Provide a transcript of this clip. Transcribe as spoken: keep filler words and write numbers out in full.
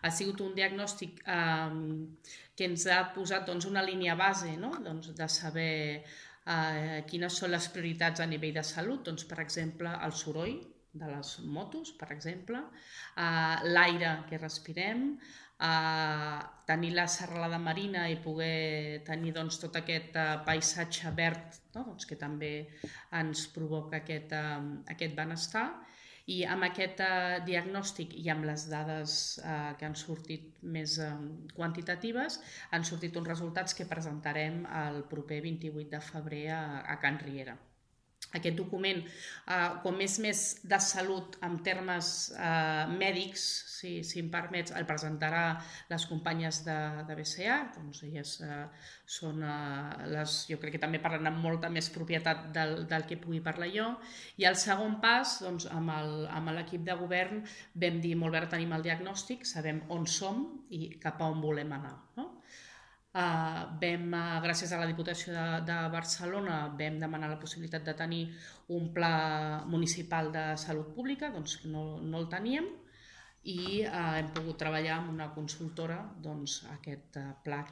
Ha sigut un diagnòstic que ens ha posat una línia base de saber quines són les prioritats a nivell de salut, per exemple, el soroll de les motos, per exemple, l'aire que respirem, tenir la serralada marina i poder tenir tot aquest paisatge verd que també ens provoca aquest benestar. I amb aquest diagnòstic i amb les dades que han sortit més quantitatives, han sortit uns resultats que presentarem el proper vint-i-vuit de febrer a Can Riera. Aquest document, com és més de salut en termes mèdics, si em permets, el presentarà les companyes de B C A, doncs elles són les, jo crec que també parlen amb molta més propietat del que pugui parlar jo, i el segon pas, doncs amb l'equip de govern vam dir, molt bé, ara tenim el diagnòstic, sabem on som i cap a on volem anar. Vam, gràcies a la Diputació de Barcelona, vam demanar la possibilitat de tenir un pla municipal de salut pública, doncs que no el teníem, i hem pogut treballar amb una consultora aquest pla